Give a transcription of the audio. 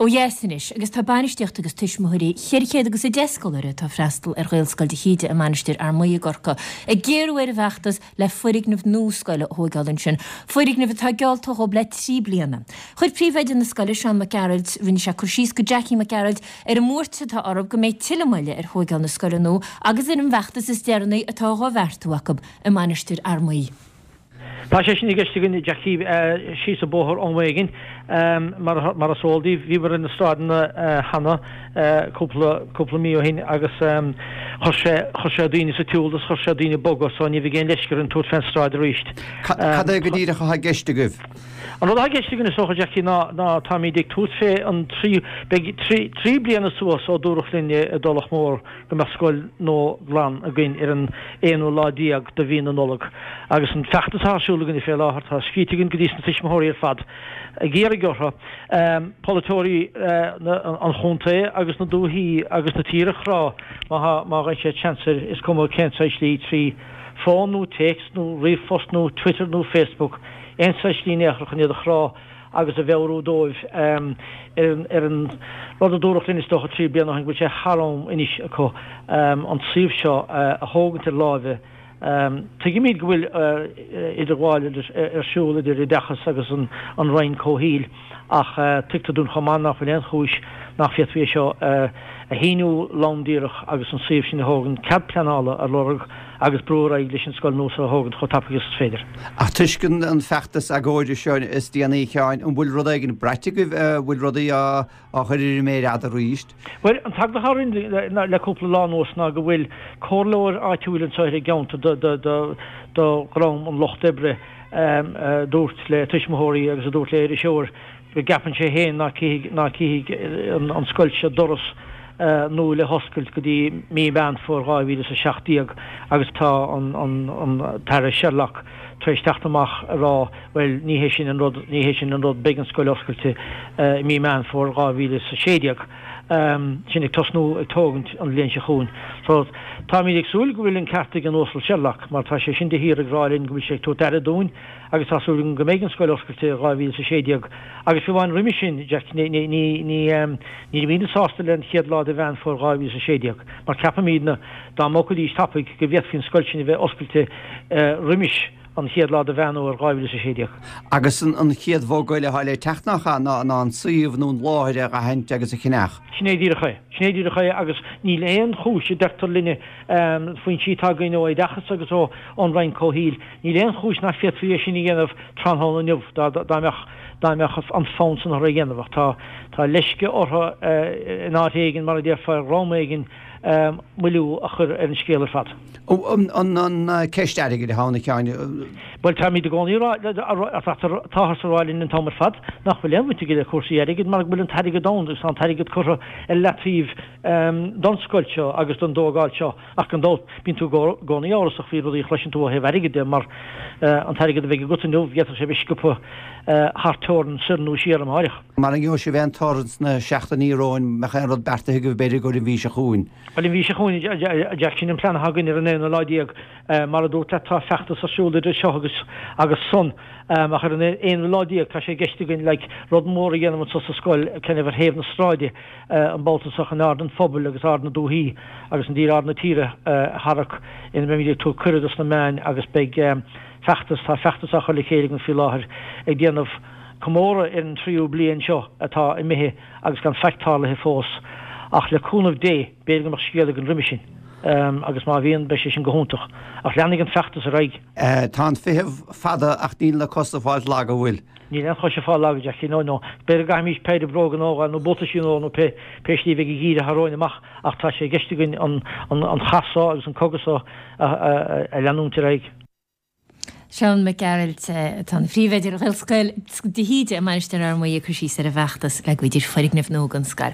Ó dheas anois, agus tá bainistíocht agus tuismitheoirí 410 scoláire atá ag freastal ar Ghaelscoil de hÍde i Mainistir Fhear Maí i gCorcaigh ag géarú ar an bhfeachtas le foirgneamh nua scoile a thóigeáil ansin, foirgneamh atá geallta dhóibh le 3 bliana. Chuir príomhoide na scoile, Seán Mac Gearailt, rinne sé cur síos go Jackie Mac Gearailt ar an mbuairt atá orthu go mbeidh tuilleadh moille ar thóigeáil na scoile nua agus ar an bhfeachtas is deireanaí atá dhá bheartú acu i Mainistir Fhear Maí. Tá sé sin i gceist againn, Jackie, síos an bóthar ón Mhaoilghin. Mar is eol daoibh, bhíomar ar na stráideanna cheana cúpla, cúpla mí ó shin agus chuir sé, chuir sé daoine sa tsiúl agus chuir sé daoine ag bogadh so ní bheidh aon leisce orainn tabhairt fén stráid arís. Cad é go díreach atá i gceist agaibh? An rud atá i gceist againn is dócha, Jackie, ná, ná táimid ag tabhairt fé an tríú, beidh trí, trí bliana suas ó dúradh linn i dTulach Mhór go mbeadh scoil nua glan againn ar an aonú lá déag de mhí na Nollag. Agus an feachtas atá ar siúl againne fé láthair, tá scríte againn go dtí sna tuismitheoirí ar fad ag iarraidh orthu polaiteoirí an chontae agus na dúichí agus na tíre a chrá má tá, má gheibheann siad seans air, is cuma cén saghas slí, trí fón nó téacs nó ríomhphost nó Twitter nó Facebook, aon saghas slí in aon chor chun iad a chrá. agus a mheabhrú dóibh ar an rud a dúradh linn is dócha 3 bliana ó shin, go bhfuil sé thar am anois acu an suíomh seo a thógaint ar láimhe. Tuigimid go bhfuil idirghabháil ar siúl idir Oideachas agus an Roinn Comhshaoil ach tuigtear dúinn chomh maith nach bhfuil aon chúis nach bhféadfaí é seo a shíniú lom díreach agus an suíomh sin a thógaint, cead pleanála a lorg agus brú ar aghaidh leis an scoil nua seo a thógaint chomh tapaidh agus is féidir. Ach toisc an feachtas agóide seo is déanaí, a Sheáin, an bhfuil rud éigin braite agaibh, an bhfuil rudaí á chur ar an méar fhada arís? Bhuel, an t-eagla atá orainn le cúpla lá anuas ná go bhfuil comhairleoir áitiúil anseo ar an gceantar do dhream an Lucht Oibre a dúirt le tuismitheoirí agus a dúirt le iriseoir go gceapann sé féin ná cífidh an scoil seo doras nua le hoscailt go dtí mí Mheán Fómhair 2017 agus tá an tAire Sherlock tar éis teacht amach a rá bhuel ní hé sin an rud, ní hé sin an rud, beidh an scoil oscailte i mí Meán Fómhair 2016. Sin ag tosnú ag tógaint an bhliain seo chugainn. So táimid ag súil go bhfuil an ceart ag an Uasal Sherlock mar tá sé sin de shíor ag rá linn go bhfuil sé ag tabhairt aire dúinn agus tá súil agam go mbeidh an scoil oscailte i 2016 agus fiú amháin roimhe sin, Jack, ní, ní, ní, ní, nílimidne sásta le an chéad lá de Mheán Fómhair 2016 mar ceapaimidne dá mbogfaidís tapaidh go bhféadfaí an scoil sin a bheith oscailte roimis an chéad lá de Mheán Fómhair 2016. Agus an chéad bhogadh eile atá le teacht nach ea ná an suíomh nó an láthair a aithint agus a cheannach. Sin é díreach é. Sin é díreach é agus níl aon chúis a deirtear linne, foinsí atá againn ó Oideachas agus ón Roinn Comhshaoil, Níl aon chúis nach bhféadfaí é sin a dhéanamh tráthnóna inniu dá mbeadh dá mbeadh an fonn san orthu é a dhéanamh ach tá tá leisce orthu in áit éigin, mar a déarfá, ar dhream éigin moilliú a chur ar an scéal ar fad. An ceist airgid atá ann, a Sheáin? Bhuel, táimid i gcónaí ag rá, táthar ag rá linn an t-am ar fad nach bhfuil aon bhaint aige le cúrsaí airgid mar go bhfuil an t-airgead ann agus tá an t-airgead curtha ar leataobh don scoil seo agus don dtógáil seo. Ach gan dabht, bíonn tú i gcónaí amhrasach faoi rudaí a chloiseann tú ó thaobh airgid de, mar an t-airgead a bheidh agat inniu, d'fhéadfadh sé a bheith sciobtha thar teorainn soir nó siar amáireach. Mara ngeobhaidh sibh aon toradh sna seachtainí romhainn, mbeadh aon rud beartaithe agaibh b'fhéidir i gcomhair an mhí seo chugainn? Bhuel, an mhí seo chugainn, a Jack, sin an plean atá againn ar an aonú lá déag. Mar a dúrt leat, tá feachtas ar siúl idir seo agus agus san. Ach ar an aonú lá déag, tá sé i gceist againn like rud mór a dhéanamh anseo sa scoil, kind of ar thaobh na sráide. an babhta seo chun aird an phobail agus aird na dúichí agus i ndáiríre aird na tíre a tharrac ina mbeimid ag tabhairt cuireadh dos na meáin agus beidh feachtas, tá feachtas á chur le chéile againn faoi láthair ag déanamh comóradh ar an tríú bliain seo atá imithe agus gan faic tarlaithe fós. Ach le cúnamh Dé, b'fhéidir go mbeadh scéal againn roimhe sin agus má bhíonn, beidh sé sin go hiontach. Ach leanfaidh an feachtas ar aghaidh. Tá an feitheamh fada ach níl na cosa ag fáilt lag, an bhfuil? Níl aon chois ag fáil lag, a Jackie, no, no. B'fhéidir go gcaithfimís péire bróga nua a fháil nó buataisí nua nó pé, pé slí a bheidh an geimhreadh atá romhainn amach ach tá sé i gceist againn an, an, an chath so agus an cogadh so a, a, a leanúint ar aghaidh. Seán Mac Gearailt, atá ina phríomhoide ar Ghaelscoil de hÍde i Mainistir Fhear Maí ag cur síos ar an bhfeachtas le go bhfaighidís foirgneamh nua don scoil.